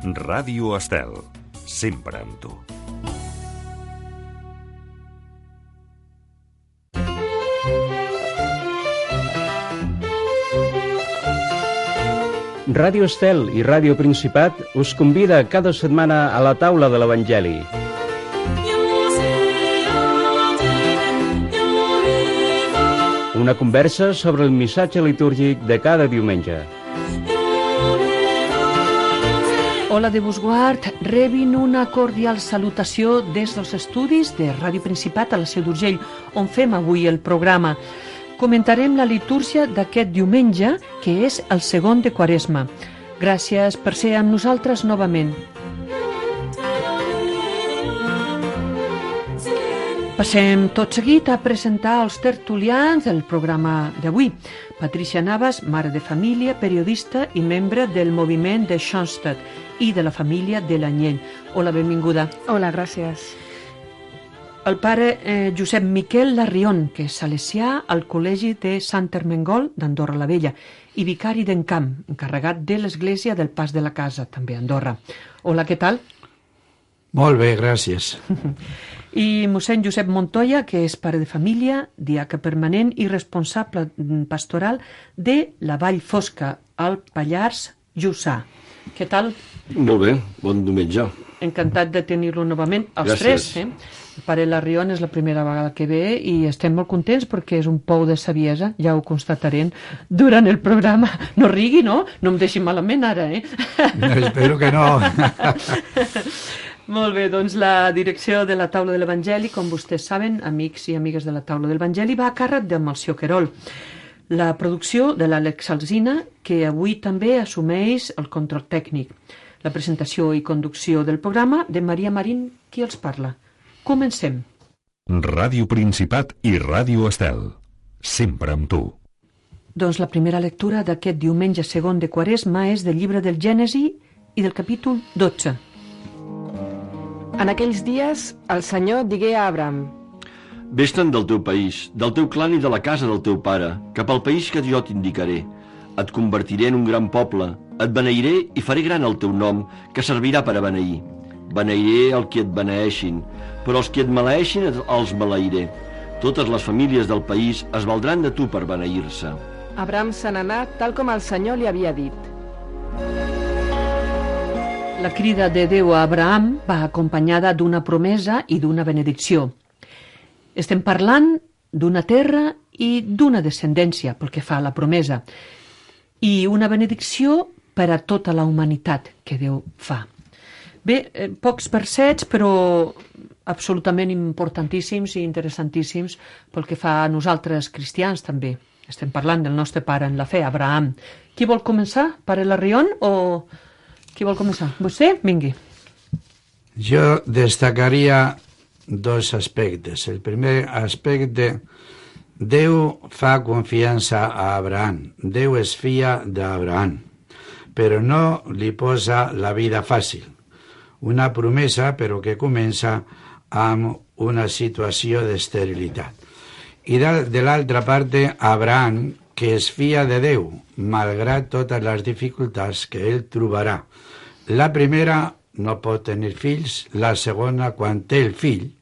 Ràdio Estel, sempre amb tu. Ràdio Estel i Ràdio Principat us convida cada setmana a la taula de l'Evangeli. Una conversa sobre el missatge litúrgic de cada diumenge. Hola de Busguard, rebin una cordial salutació des dels estudis de Ràdio Principat a la Seu d'Urgell, on fem avui el programa. Comentarem la litúrgia d'aquest diumenge, que és el segon de Quaresma. Gràcies per ser amb nosaltres novament. Passem tot seguit a presentar els tertulians del programa d'avui. Patricia Navas, mare de família, periodista i membre del moviment de Schoenstatt i de la família de l'Anyell. Hola, benvinguda. Hola, gràcies. El pare Josep Miquel Larrión, que és salesià al Col·legi de Sant Ermengol d'Andorra la Vella i vicari d'Encamp, encarregat de l'Església del Pas de la Casa, també a Andorra. Hola, què tal? Molt bé, gràcies. I mossèn Josep Montoya, que és pare de família, diaca permanent i responsable pastoral de la Vall Fosca, al Pallars Jussà. Què tal? Molt bé, bon diumenge. Encantat de tenir-lo novament, els Gràcies. tres. El pare Larrión és la primera vegada que ve i estem molt contents perquè és un pou de saviesa, ja ho constatarem durant el programa. No rigui, no? No em deixi malament ara, No, espero que no. Molt bé, doncs la direcció de la taula de l'Evangeli, com vostès saben, amics i amigues de la taula de l'Evangeli, va a càrrec de Melcior Querol. La producció de l'Àlex Alsina, que avui també assumeix el control tècnic. La presentació i conducció del programa de Maria Marín, qui els parla. Comencem. Ràdio Principat i Ràdio Estel, sempre amb tu. Doncs la primera lectura d'aquest diumenge segon de Quaresma és del llibre del Gènesi i del capítol 12. En aquells dies, el Senyor digué a Abraham: Vés-te'n del teu país, del teu clan i de la casa del teu pare, cap al país que jo t'indicaré. Et convertiré en un gran poble, et beneiré i faré gran el teu nom, que servirà per a beneir. Beneiré el que et beneeixin, però els que et maleeixin els maleiré. Totes les famílies del país es valdran de tu per beneir-se. Abraham se n'anà tal com el Senyor li havia dit. La crida de Déu a Abraham va acompanyada d'una promesa i d'una benedicció. Estem parlant d'una terra i d'una descendència, pel que fa a la promesa, i una benedicció per a tota la humanitat que Déu fa. Bé, pocs versets, però absolutament importantíssims i interessantíssims pel que fa a nosaltres cristians també. Estem parlant del nostre pare en la fe, Abraham. Qui vol començar? Pare Larrión o qui vol començar? Vostè? Vingui. Jo destacaria dos aspectes. El primer aspecte, Déu fa confiança a Abraham. Déu es fia d'Abraham, però no li posa la vida fàcil. Una promesa, però que comença amb una situació d'esterilitat. I de l'altra part, Abraham, que es fia de Déu, malgrat totes les dificultats que ell trobarà. La primera, no pot tenir fills. La segona, quan té el fill,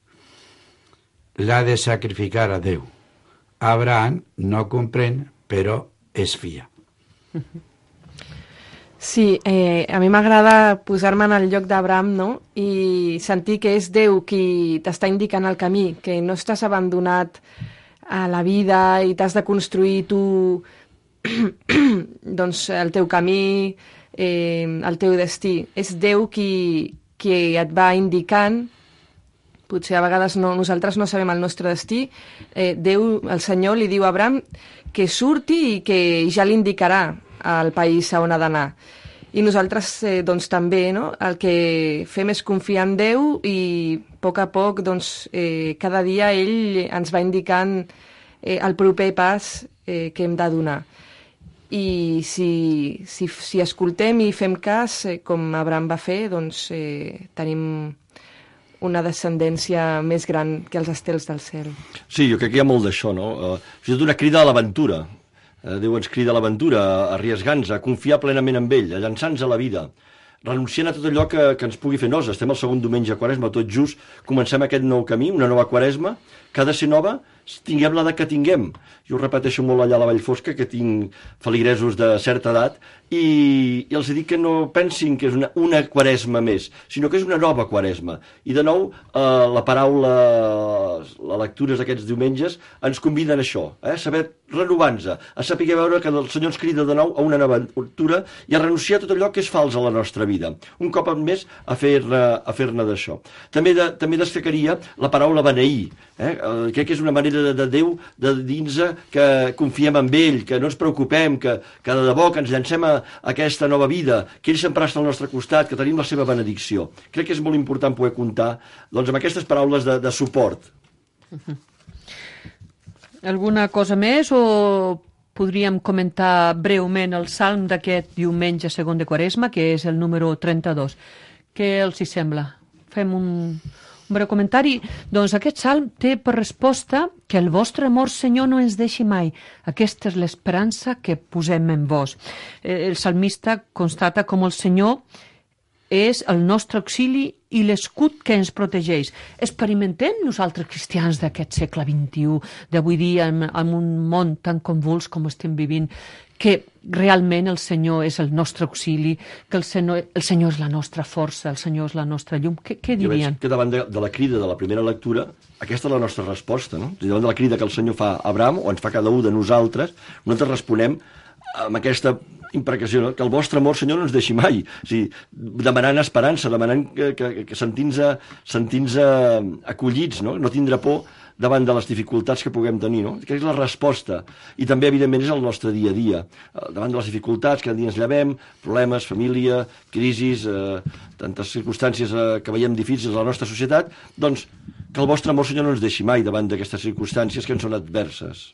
l'ha de sacrificar a Déu. Abraham no comprèn, però es fia. Sí, a mi m'agrada posar-me en el lloc d'Abraham, no? I sentir que és Déu qui t'està indicant el camí, que no estàs abandonat a la vida i t'has de construir tu doncs, el teu camí, el teu destí. És Déu qui et va indicant. Potser a vegades nosaltres no sabem el nostre destí. Déu, el Senyor, li diu a Abraham que surti i que ja l'indicarà al país on ha d'anar. I nosaltres doncs, també, no? El que fem és confiar en Déu i a poc, doncs, cada dia ell ens va indicant el proper pas que hem de donar. I si escoltem i fem cas, com Abraham va fer, doncs tenim una descendència més gran que els estels del cel. Sí, jo crec que hi ha molt d'això, no? És una crida a l'aventura. Déu ens crida a l'aventura, a arriesgar-nos, a confiar plenament en ell, a llançar-nos a la vida. renunciant a tot allò que ens pugui fer nosa. Estem al segon diumenge de Quaresma, tot just comencem aquest nou camí, una nova Quaresma, que ha de ser nova, tinguem l'edat que tinguem. Jo ho repeteixo molt allà a la Vallfosca, que tinc feligresos de certa edat, i els dic que no pensin que és una Quaresma més, sinó que és una nova Quaresma. I de nou, la paraula, les lectures d'aquests diumenges ens conviden a això, a saber renovar-nos, a saber veure que el Senyor ens crida de nou a una nova aventura i a renunciar a tot allò que és fals a la nostra vida. Un cop més a fer-ne d'això. També destacaria la paraula beneir. Crec que és una manera de Déu de dir-nos que confiem en ell, que no ens preocupem, que de debò que ens llancem a aquesta nova vida, que ell sempre està al nostre costat, que tenim la seva benedicció. Crec que és molt important poder comptar amb aquestes paraules de suport. Alguna cosa més o podríem comentar breument el salm d'aquest diumenge segon de Quaresma, que és el número 32. Què els hi sembla? Fem un breu comentari. Doncs aquest salm té per resposta que el vostre amor, Senyor, no ens deixi mai. Aquesta és l'esperança que posem en vos. El salmista constata com el Senyor és el nostre auxili i l'escut que ens protegeix. Experimentem nosaltres cristians d'aquest segle XXI, d'avui dia, en un món tan convuls com estem vivint, que realment el Senyor és el nostre auxili, que el Senyor és la nostra força, el Senyor és la nostra llum. Què dirien? Jo veig que davant de la crida de la primera lectura, aquesta és la nostra resposta, no? Davant de la crida que el Senyor fa a Abraham, o ens fa cada un de nosaltres responem amb aquesta imprecació, no? Que el vostre amor, Senyor, no ens deixi mai. O sigui, demanant esperança, demanant que sentint-nos acollits, no? No tindre por davant de les dificultats que puguem tenir, no? Que és la resposta. I també, evidentment, és el nostre dia a dia. Davant de les dificultats, cada dia ens llevem, problemes, família, crisis, tantes circumstàncies que veiem difícils a la nostra societat, doncs que el vostre amor, Senyor, no ens deixi mai davant d'aquestes circumstàncies que ens són adverses.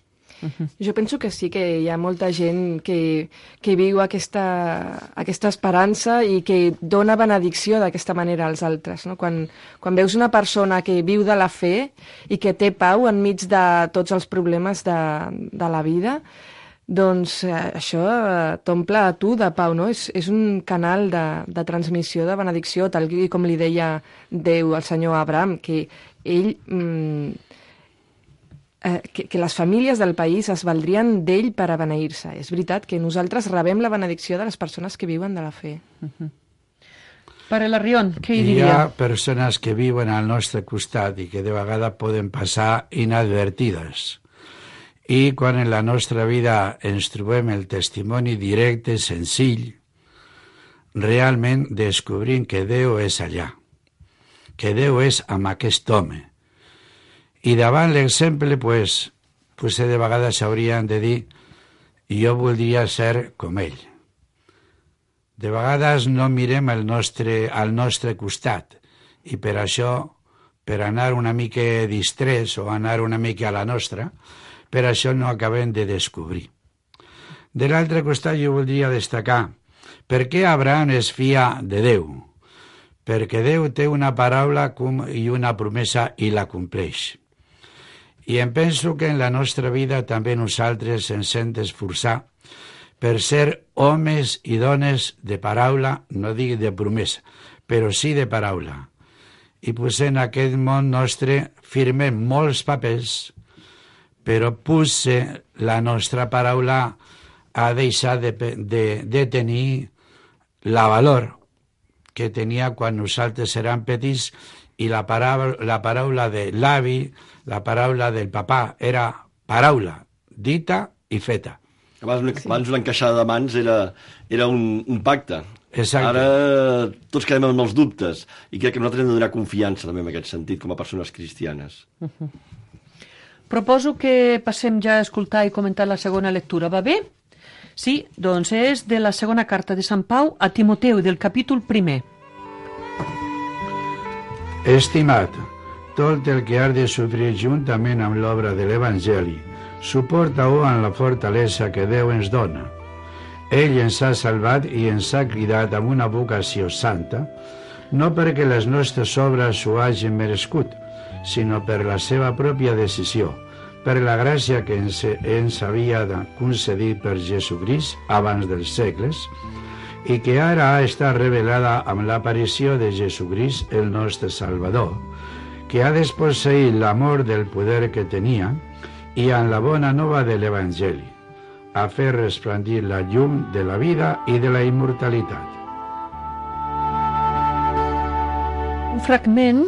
Jo penso que sí, que hi ha molta gent que viu aquesta esperança i que dona benedicció d'aquesta manera als altres, no? Quan veus una persona que viu de la fe i que té pau enmig de tots els problemes de la vida, doncs això t'omple a tu de pau, no? És un canal de transmissió de benedicció, tal com li deia Déu al senyor Abraham, que ell... que les famílies del país es valdrien d'ell per a beneir-se. És veritat que nosaltres rebem la benedicció de les persones que viuen de la fe. Pare Larrión, què hi diria? Hi ha persones que viuen al nostre costat i que de vegades poden passar inadvertides. I quan en la nostra vida ens trobem el testimoni directe, senzill, realment descobrim que Déu és allà, que Déu és amb aquest home. I davant l'exemple, potser de vegades haurien de dir jo voldria ser com ell. De vegades no mirem al nostre costat i per això, per anar una mica distrets o anar una mica a la nostra, per això no acabem de descobrir. De l'altre costat jo voldria destacar per què Abraham es fia de Déu. Perquè Déu té una paraula i una promesa i la compleix. I em penso que en la nostra vida també nosaltres ens hem d'esforçar per ser homes i dones de paraula, no dic de promesa, però sí de paraula. I potser en aquest món nostre firmem molts papers, però potser la nostra paraula ha deixat de tenir la valor que tenia quan nosaltres érem petits i la paraula de l'avi, la paraula del papà, era paraula, dita i feta. Abans l'encaixada de mans era un pacte. Exacte. Ara tots quedem amb els dubtes i crec que nosaltres hem de donar confiança també en aquest sentit com a persones cristianes. Proposo que passem ja a escoltar i comentar la segona lectura. Va bé? Sí, doncs és de la segona carta de Sant Pau a Timoteu, del capítol 1. Estimat, tot el que has de sofrir juntament amb l'obra de l'Evangeli, suporta-ho amb la fortalesa que Déu ens dona. Ell ens ha salvat i ens ha cridat amb una vocació santa, no perquè les nostres obres ho hagin merescut, sinó per la seva pròpia decisió, per la gràcia que ens havia concedit per Jesucrist abans dels segles, i que ara ha estat revelada amb l'aparició de Jesucrist, el nostre Salvador, que ha desposseït l'amor del poder que tenia i amb la bona nova de l'Evangeli, a fer resplendir la llum de la vida i de la immortalitat. Un fragment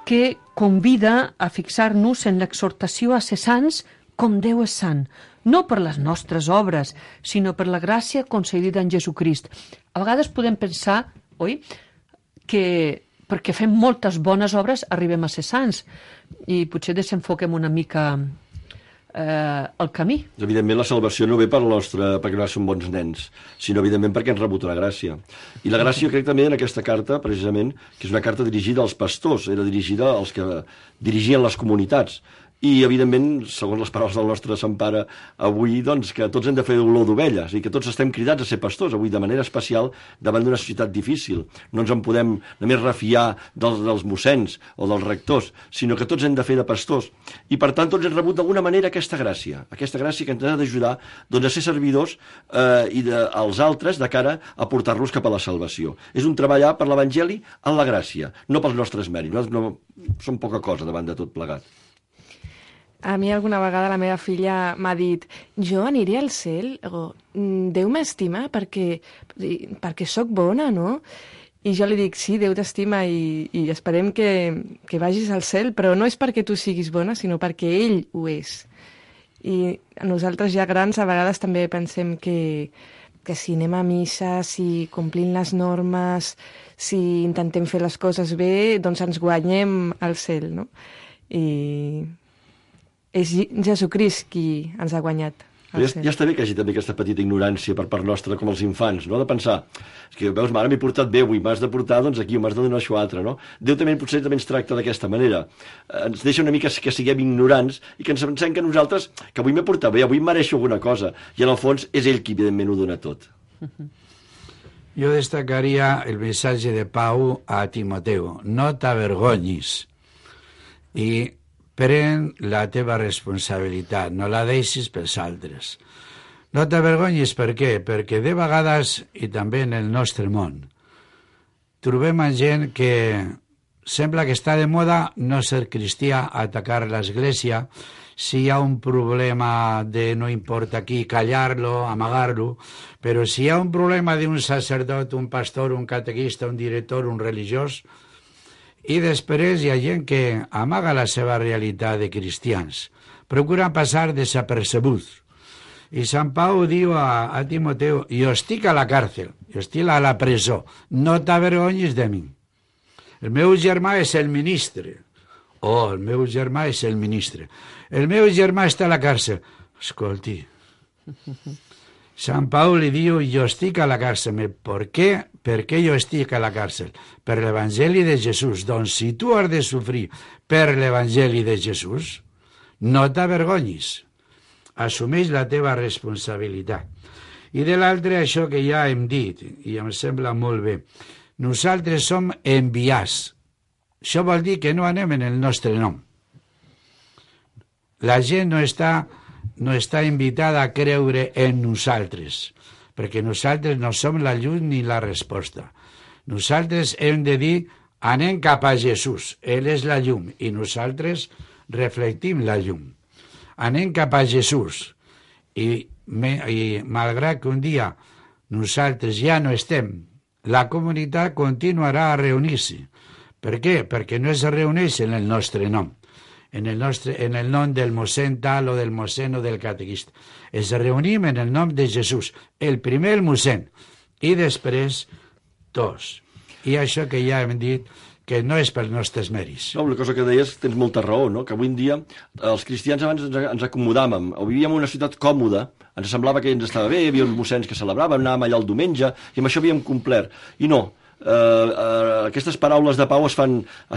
que convida a fixar-nos en l'exhortació a ser sants com Déu és sant, no per les nostres obres, sinó per la gràcia concedida en Jesucrist. A vegades podem pensar, oi, que perquè fem moltes bones obres arribem a ser sants i potser desenfoquem una mica el camí. Evidentment, la salvació no ve perquè no som bons nens, sinó, evidentment, perquè hem rebut la gràcia. I la gràcia, crec també, en aquesta carta, precisament, que és una carta dirigida als pastors, era dirigida als que dirigien les comunitats. I, evidentment, segons les paraules del nostre Sant Pare, avui, doncs, que tots hem de fer olor d'ovelles i que tots estem cridats a ser pastors, avui, de manera especial, davant d'una societat difícil. No ens en podem només refiar dels mossens o dels rectors, sinó que tots hem de fer de pastors. I, per tant, tots hem rebut d'alguna manera aquesta gràcia que ens ha d'ajudar doncs, a ser servidors als altres de cara a portar-los cap a la salvació. És un treballar per l'Evangeli en la gràcia, no pels nostres mèrits. Nosaltres no som poca cosa davant de tot plegat. A mi alguna vegada la meva filla m'ha dit jo aniré al cel, Déu m'estima perquè sóc bona, no? I jo li dic, sí, Déu t'estima i esperem que vagis al cel, però no és perquè tu siguis bona, sinó perquè ell ho és. I nosaltres ja grans a vegades també pensem que si anem a missa, si complim les normes, si intentem fer les coses bé, doncs ens guanyem el cel, no? I és Jesucrist qui ens ha guanyat. Ja està bé que hi hagi també aquesta petita ignorància per part nostra, com els infants, no? De pensar, és que veus, mare, m'he portat bé avui, m'has de portar doncs aquí, o m'has de donar això altre, no? Déu potser també ens tracta d'aquesta manera. Ens deixa una mica que siguem ignorants i que ens pensem que nosaltres, que avui m'he portat bé, avui mereixo alguna cosa, i en el fons és ell qui evidentment ho dona tot. Jo destacaria el missatge de Pau a Timoteu, no t'avergonyis, i pren la teva responsabilitat, no la deixis pels altres. No t'avergonyis, per què? Perquè de vegades, i també en el nostre món, trobem gent que sembla que està de moda no ser cristià, atacar l'església, si hi ha un problema de no importa qui, callar-lo, amagar-lo, però si hi ha un problema d'un sacerdot, un pastor, un catequista, un director, un religiós, i després hi ha gent que amaga la seva realitat de cristians, procuren passar desapercebuts. I Sant Pau diu a Timoteu, jo estic a la càrcel, jo estic a la presó, no t'avergonyis de mi. El meu germà és el ministre. El meu germà és el ministre. El meu germà està a la càrcel. Escolti, Sant Pau li diu, jo estic a la càrcel. Per què? Per què jo estic a la càrcel? Per l'Evangeli de Jesús. Doncs si tu has de sofrir per l'Evangeli de Jesús, no t'avergonyis. Assumeix la teva responsabilitat. I de l'altre, això que ja hem dit, i em sembla molt bé, nosaltres som enviats. Això vol dir que no anem en el nostre nom. La gent no està invitada a creure en nosaltres, perquè nosaltres no som la llum ni la resposta. Nosaltres hem de dir, anem cap a Jesús, ell és la llum, i nosaltres reflectim la llum. Anem cap a Jesús, i malgrat que un dia nosaltres ja no estem, la comunitat continuarà a reunir-se. Per què? Perquè no es reuneix en el nostre nom, en el nom del mossèn tal o del mossèn o del catequista. Es reunim en el nom de Jesús, el primer el mossèn, i després tots. I això que ja hem dit, que no és pels nostres mèrits. No, una cosa que deies, tens molta raó, no? Que avui en dia els cristians abans ens acomodàvem, vivíem en una ciutat còmoda, ens semblava que ens estava bé, hi havia uns mossens que celebraven, anàvem allà el diumenge, i amb això havíem complert. I no, aquestes paraules de Pau es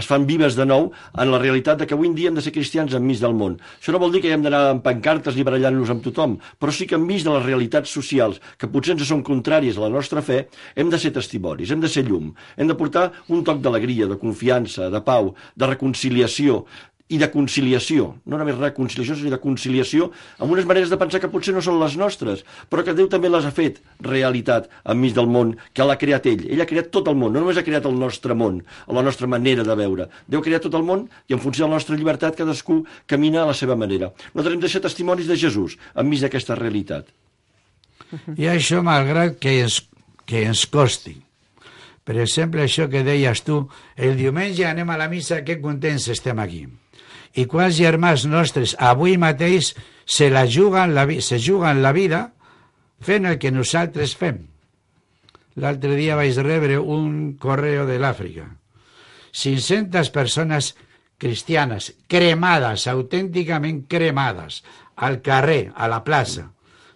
fan vives de nou en la realitat de que avui en dia hem de ser cristians enmig del món. Això no vol dir que hem d'anar amb pancartes i barallant-nos amb tothom, però sí que enmig de les realitats socials, que potser ens són contràries a la nostra fe, hem de ser testimonis, hem de ser llum, hem de portar un toc d'alegria, de confiança, de pau, de reconciliació, i de conciliació, no només reconciliació, sinó de conciliació amb unes maneres de pensar que potser no són les nostres, però que Déu també les ha fet realitat enmig del món, que l'ha creat ell. Ell ha creat tot el món, no només ha creat el nostre món, o la nostra manera de veure. Déu ha creat tot el món i en funció de la nostra llibertat cadascú camina a la seva manera. Nosaltres hem de ser testimonis de Jesús enmig d'aquesta realitat. I això malgrat que ens costi. Per exemple, això que deies tu, el diumenge anem a la missa, que contents estem aquí. I quants germans nostres avui mateix se juguen la vida fent el que nosaltres fem. L'altre dia vaig rebre un correu de l'Àfrica. 500 persones cristianes cremades, autènticament cremades, al carrer, a la plaça.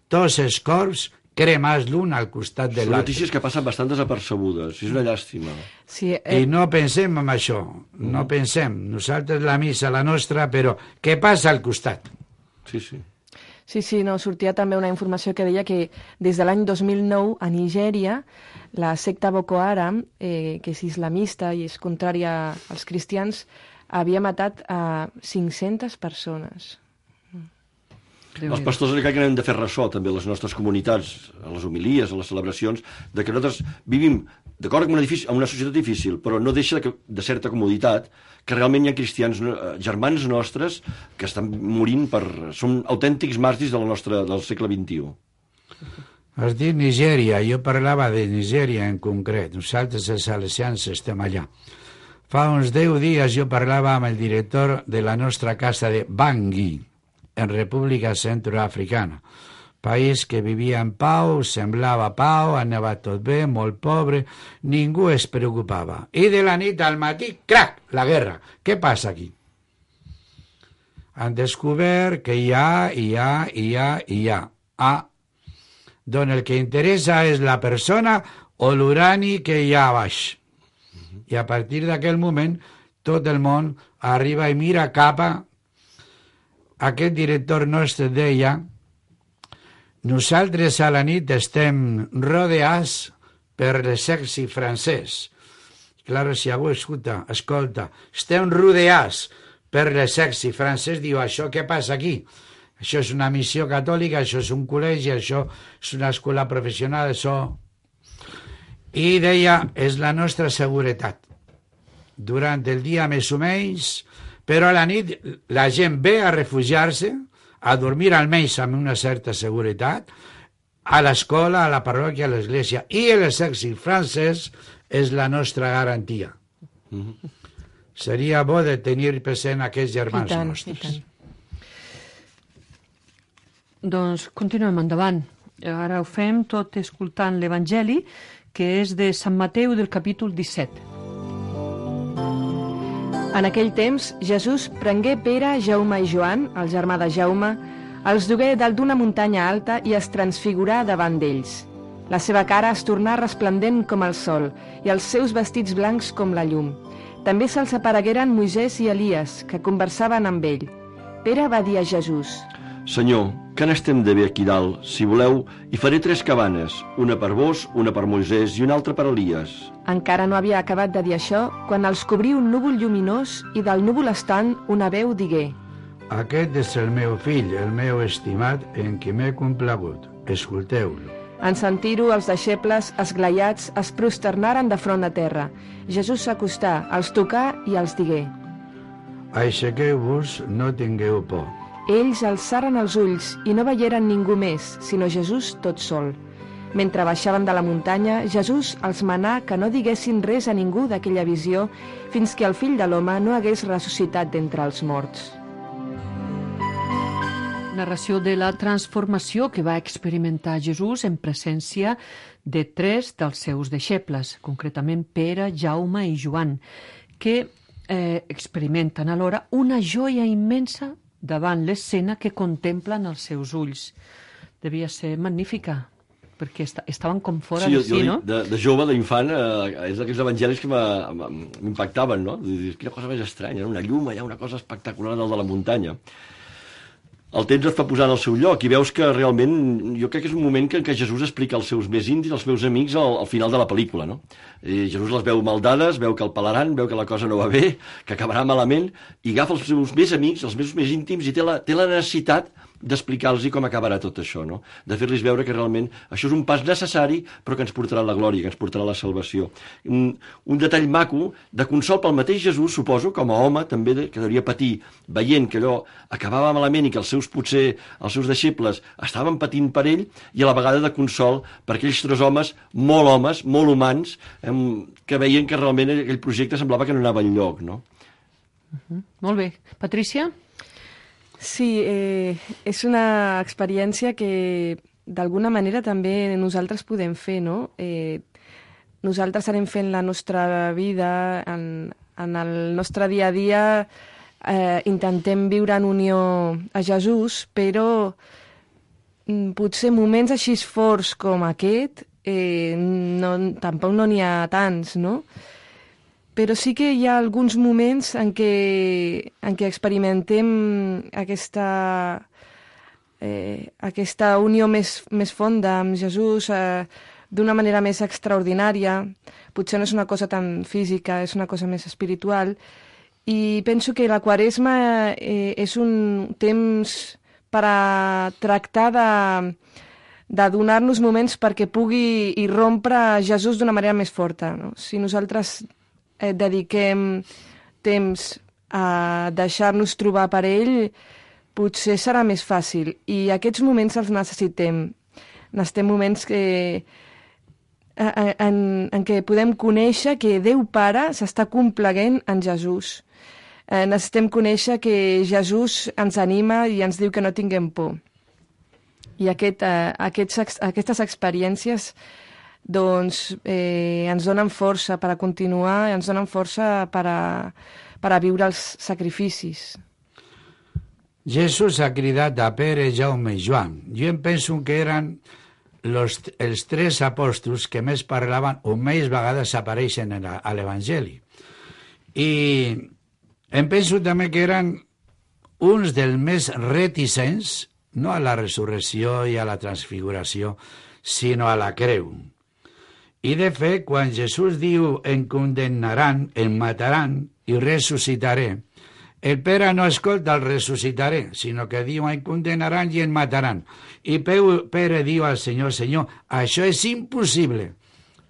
Tots els corps cremats l'un al costat de Són l'altre. notícies que passen bastant desapercebudes, és una llàstima. Sí, I no pensem en això, no pensem. Nosaltres la missa, la nostra, però què passa al costat? Sí. Sí, no, sortia també una informació que deia que des de l'any 2009 a Nigèria la secta Boko Haram, que és islamista i és contrària als cristians, havia matat a 500 persones. Els pastors crec que hem de fer ressò també a les nostres comunitats, a les homilies, a les celebracions, de que nosaltres vivim d'acord amb una societat difícil, però no deixa de certa comoditat que realment hi ha cristians, germans nostres, que estan morint són autèntics màrtirs del segle XXI. Has dit Nigèria, jo parlava de Nigèria en concret. Nosaltres, els salesians, estem allà. Fa uns 10 dies jo parlava amb el director de la nostra casa de Bangui, en República Centroafricana. País que vivia en pau, semblava pau, anava tot bé, molt pobre, ningú es preocupava. I de la nit al matí, crac, la guerra. Què passa aquí? Han descobert que hi ha. Doncs el que interessa és la persona o l'urani que hi ha a baix. I a partir d'aquell moment, tot el món arriba i mira cap a aquest director nostre deia: nosaltres a la nit estem rodeats per l'exèrcit francès. Clar, si algú escolta, estem rodeats per l'exèrcit francès, diu, això què passa aquí? Això és una missió catòlica, això és un col·legi, això és una escola professional, això... I deia, és la nostra seguretat. Durant el dia més o menys, però a la nit la gent ve a refugiar-se, a dormir almenys amb una certa seguretat, a l'escola, a la parròquia, a l'església. I l'exèrcit francès és la nostra garantia. Seria bo de tenir present aquests germans nostres. Doncs continuem endavant. Ara ho fem tot escoltant l'Evangeli, que és de Sant Mateu del capítol 17. En aquell temps, Jesús prengué Pere, Jaume i Joan, el germà de Jaume, els dugué dalt d'una muntanya alta i es transfigurà davant d'ells. La seva cara es tornà resplendent com el sol i els seus vestits blancs com la llum. També se'ls aparegueren Moisès i Elies, que conversaven amb ell. Pere va dir a Jesús: Senyor, que n'estem de bé aquí dalt? Si voleu, hi faré 3 cabanes, una per vos, una per Moisès i una altra per Elies. Encara no havia acabat de dir això quan els cobrí un núvol lluminós i del núvol estant una veu digué: Aquest és el meu fill, el meu estimat, en qui m'he complagut. Escolteu-lo. En sentir-ho, els deixebles, esglaiats, es prosternaren de front a terra. Jesús s'acostà, els tocà i els digué: Aixequeu-vos, no tingueu por. Ells alçaren els ulls i no veieren ningú més, sinó Jesús tot sol. Mentre baixaven de la muntanya, Jesús els manà que no diguessin res a ningú d'aquella visió fins que el fill de l'home no hagués ressuscitat d'entre els morts. Narració de la transformació que va experimentar Jesús en presència de 3 dels seus deixebles, concretament Pere, Jaume i Joan, que experimenten alhora una joia immensa davant l'escena que contemplen els seus ulls. Devia ser magnífica, perquè estaven com fora de si, no? De jove, d'infant, és d'aquells evangelis que m'impactaven, no? Quina cosa més estranya, una llum allà, una cosa espectacular dalt de la muntanya. el temps et fa posar en el seu lloc i veus que realment, jo crec que és un moment en què Jesús explica als seus més íntims, als meus amics, al final de la pel·lícula, no? Jesús les veu maldades, veu que el pelaran, veu que la cosa no va bé, que acabarà malament, i agafa els seus més amics, els meus més íntims, i té la necessitat d'explicar-los com acabarà tot això, no? De fer-los veure que realment això és un pas necessari, però que ens portarà a la glòria, que ens portarà a la salvació. Un detall maco, de consol pel mateix Jesús, suposo, com a home, també que devia patir, veient que allò acabava malament i que els seus deixebles estaven patint per ell, i a la vegada de consol per aquells tres homes, molt humans, que veien que realment aquell projecte semblava que no anava enlloc, no? Molt bé. Patrícia? Sí, és una experiència que d'alguna manera també nosaltres podem fer, no? Nosaltres anem fent la nostra vida, en el nostre dia a dia intentem viure en unió a Jesús, però potser moments així forts com aquest tampoc no n'hi ha tants, no? Però sí que hi ha alguns moments en què experimentem aquesta unió més fonda amb Jesús d'una manera més extraordinària. Potser no és una cosa tan física, és una cosa més espiritual. I penso que la Quaresma és un temps per a tractar de donar-nos moments perquè pugui irrompre Jesús d'una manera més forta, no? Si nosaltres dediquem temps a deixar-nos trobar per ell, potser serà més fàcil. I aquests moments els necessitem. Necessitem moments en què podem conèixer que Déu Pare s'està complaguent en Jesús. Necessitem conèixer que Jesús ens anima i ens diu que no tinguem por. I aquestes experiències doncs ens donen força per a continuar, ens donen força per a viure els sacrificis. Jesús ha cridat a Pere, Jaume i Joan. Jo em penso que eren els tres apòstols que més parlaven o més vegades apareixen a l'Evangeli. I em penso també que eren uns dels més reticents, no a la resurrecció i a la transfiguració, sinó a la creu. I de fet, quan Jesús diu em condemnaran, em mataran i ressuscitaré, el Pere no escolta el ressuscitaré, sinó que diu em condemnaran i em mataran. I Pere diu al Senyor, Senyor, això és impossible.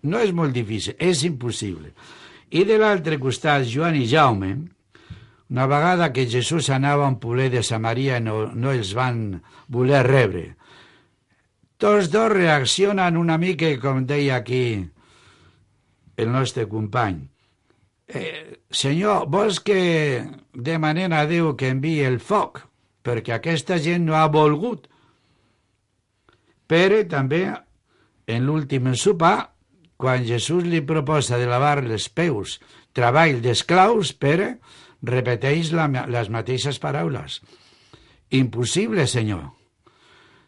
No és molt difícil, és impossible. I de l'altre costat, Joan i Jaume, una vegada que Jesús anava a un poblet de Samaria no els van voler rebre. Tots dos reaccionen una mica, com deia aquí el nostre company. Senyor, vols que demanem a Déu que enviï el foc? Perquè aquesta gent no ha volgut. Pere també, en l'últim sopar, quan Jesús li proposa de lavar els peus, treball d'esclaus, Pere repeteix les mateixes paraules. Impossible, Senyor.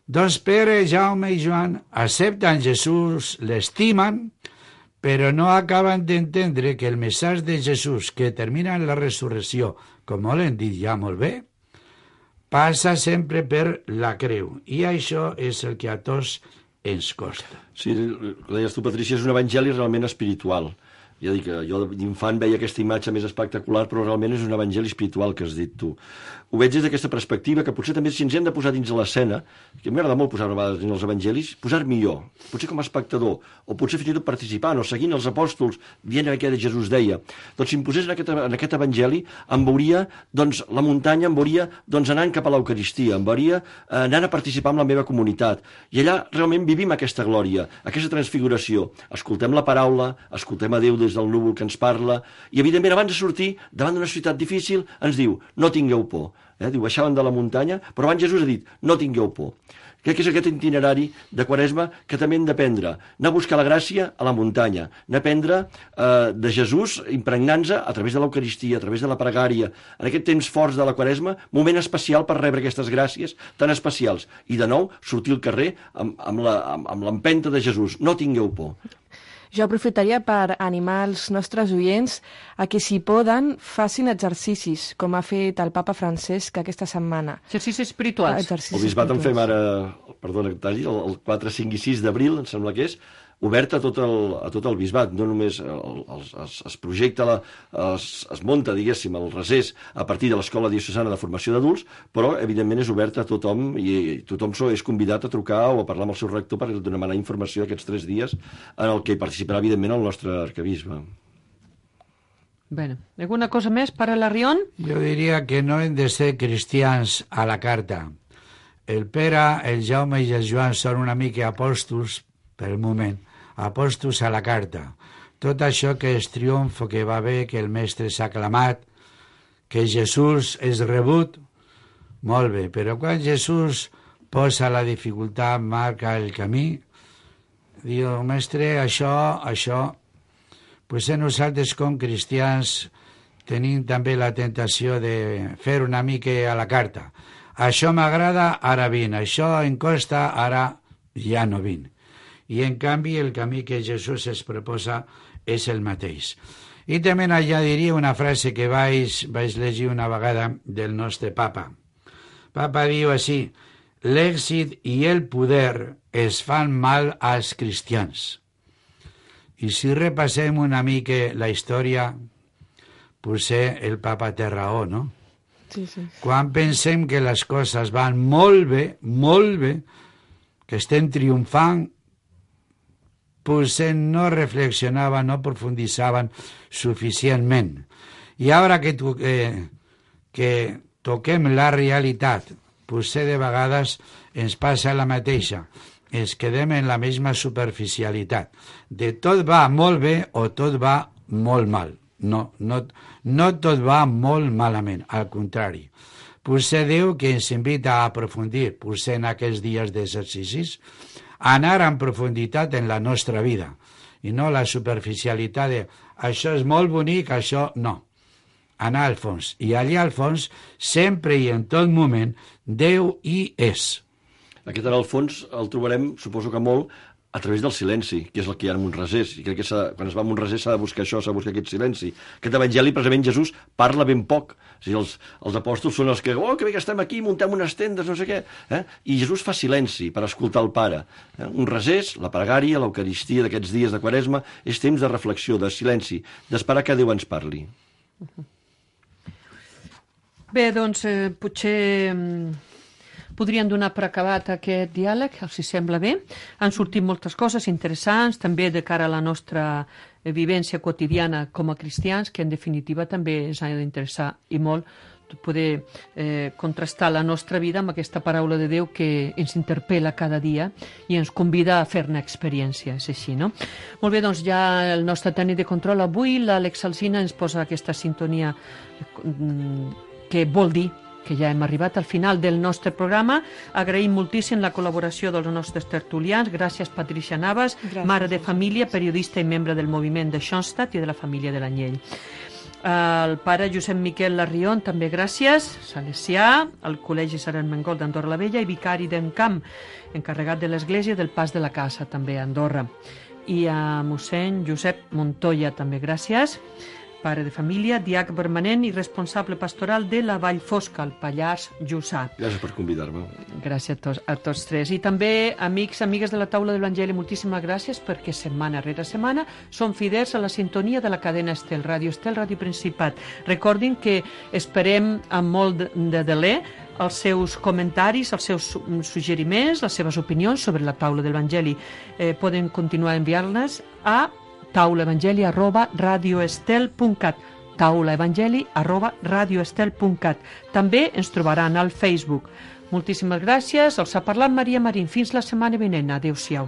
Doncs Pere, Jaume i Joan accepten Jesús, l'estimen, però no acaben d'entendre que el missatge de Jesús, que termina en la resurrecció, com molt hem dit ja molt bé, passa sempre per la creu. I això és el que a tots ens costa. Sí, ho deies tu, Patrícia, és un evangeli realment espiritual. Ja dic que jo d'infant veia aquesta imatge més espectacular, però realment és un evangeli espiritual que has dit tu. Ho veig des d'aquesta perspectiva, que potser també si ens hem de posar dins de l'escena, que m'agrada molt posar a vegades dins els evangelis, posar-m'hi jo, potser com a espectador, o potser fins i tot participant, o seguint els apòstols, dient el que Jesús deia. Doncs si em posés en aquest evangeli, em veuria doncs, la muntanya, em veuria doncs, anant cap a l'Eucaristia, em veuria anant a participar amb la meva comunitat. I allà realment vivim aquesta glòria, aquesta transfiguració. Escoltem la paraula, escoltem a Déu des del núvol que ens parla, i evidentment abans de sortir davant d'una ciutat difícil ens diu, no tingueu por. Diu, baixaven de la muntanya, però abans Jesús ha dit, no tingueu por. Crec que és aquest itinerari de Quaresma que també hem d'aprendre, anar a buscar la gràcia a la muntanya, anar a aprendre de Jesús impregnant-se a través de l'Eucaristia, a través de la pregària, en aquest temps forts de la Quaresma, moment especial per rebre aquestes gràcies tan especials. I de nou, sortir al carrer amb l'empenta de Jesús, no tingueu por. Jo aprofitaria per animar els nostres oients a que, si poden, facin exercicis, com ha fet el papa Francesc aquesta setmana. Exercicis espirituals. El bisbat en fem ara, perdona que talli, el 4, 5 i 6 d'abril, em sembla que és, obert a tot el bisbat, no només es projecta, es munta, diguéssim, el resés a partir de l'Escola Diocesana de Formació d'Adults, però, evidentment, és obert a tothom i tothom és convidat a trucar o a parlar amb el seu rector per demanar informació aquests 3 dies en el que participarà, evidentment, el nostre arquebisbe. Bueno, alguna cosa més per a la Rion? Jo diria que no hem de ser cristians a la carta. El Pere, el Jaume i el Joan són una mica apòstols, per el moment, apòstols a la carta. Tot això que és triomf, que va bé, que el mestre s'ha aclamat, que Jesús és rebut, molt bé, però quan Jesús posa la dificultat, marca el camí, diu, mestre, això, potser nosaltres com cristians tenim també la tentació de fer una mica a la carta. Això m'agrada, ara vinc, això em costa, ara ja no vinc. I, en canvi, el camí que Jesús es proposa és el mateix. I també añadiria una frase que vaig llegir una vegada del nostre papa. Papa diu així, l'èxit i el poder es fan mal als cristians. I si repassem una mica la història, potser el papa té raó, no? Sí, sí. Quan pensem que les coses van molt bé, que estem triomfant, potser no reflexionaven, no profunditzaven suficientment. I ara que toquem la realitat, potser de vegades ens passa la mateixa. Ens quedem en la mateixa superficialitat. De tot va molt bé o tot va molt mal. No tot va molt malament, al contrari. Potser Déu que ens invita a aprofundir, potser en aquests dies d'exercicis, anar en profunditat en la nostra vida i no la superficialitat de això és molt bonic, això no. Anar al fons. I allà al fons, sempre i en tot moment, Déu hi és. Aquest anar al fons el trobarem, suposo que molt, a través del silenci, que és el que hi ha en Montrasés. I crec que quan es va a Montrasés s'ha de buscar això, s'ha de buscar aquest silenci. Aquest evangeli, precisament, Jesús parla ben poc. O sigui, els apòstols són els que, que bé que estem aquí, muntem unes tendes, no sé què. I Jesús fa silenci per escoltar el Pare. Un resés, la pregària, l'Eucaristia d'aquests dies de Quaresma, és temps de reflexió, de silenci, d'esperar que Déu ens parli. Bé, doncs, potser podrien donar per acabat aquest diàleg, els sembla bé. Han sortit moltes coses interessants, també de cara a la nostra vivència quotidiana com a cristians, que en definitiva també ens ha d'interessar i molt poder contrastar la nostra vida amb aquesta paraula de Déu que ens interpel·la cada dia i ens convida a fer-ne experiència, és així, no? Molt bé, doncs ja el nostre tècnic de control avui, l'Àlex Alsina, ens posa aquesta sintonia que vol dir que ja hem arribat al final del nostre programa. Agraïm moltíssim la col·laboració dels nostres tertulians. Gràcies, Patricia Navas, mare de família, periodista i membre del moviment de Schoenstatt i de la família de l'Anyell. El pare Josep Miquel Larrion, també gràcies, salesià, al Col·legi Sant Ermengol d'Andorra la Vella i vicari d'Encamp, encarregat de l'Església del Pas de la Casa, també a Andorra. I a mossèn Josep Montoya, també gràcies, pare de família, diac permanent i responsable pastoral de la Vall Fosca, al Pallars Jussà. Gràcies per convidar-me. Gràcies a tots tres. I també, amics, amigues de la taula de l'Evangeli, moltíssimes gràcies perquè setmana rere setmana són fidels a la sintonia de la cadena Estel, Ràdio Principat. Recordin que esperem amb molt de deler els seus comentaris, els seus suggeriments, les seves opinions sobre la taula de l'Evangeli. Poden continuar enviant-les a taulaevangeli@radioestel.cat taulaevangeli@radioestel.cat. També ens trobaran al Facebook. Moltíssimes gràcies. Els ha parlat Maria Marín. Fins la setmana vinent. Adéu-siau.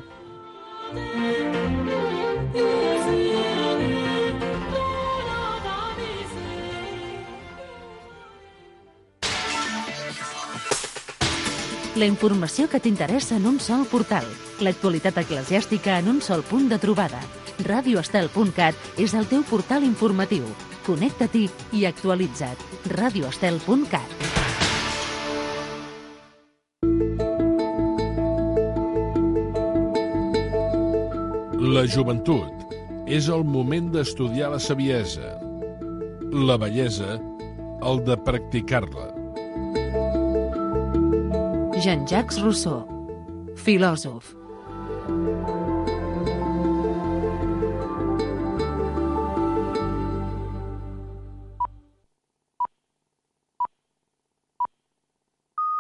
La informació que t'interessa en un sol portal. L'actualitat eclesiàstica en un sol punt de trobada. radioestel.cat és el teu portal informatiu. Connecta-t'hi i actualitza't. radioestel.cat. La joventut, és el moment d'estudiar la saviesa. La bellesa, el de practicar-la. Jean-Jacques Rousseau, filòsof.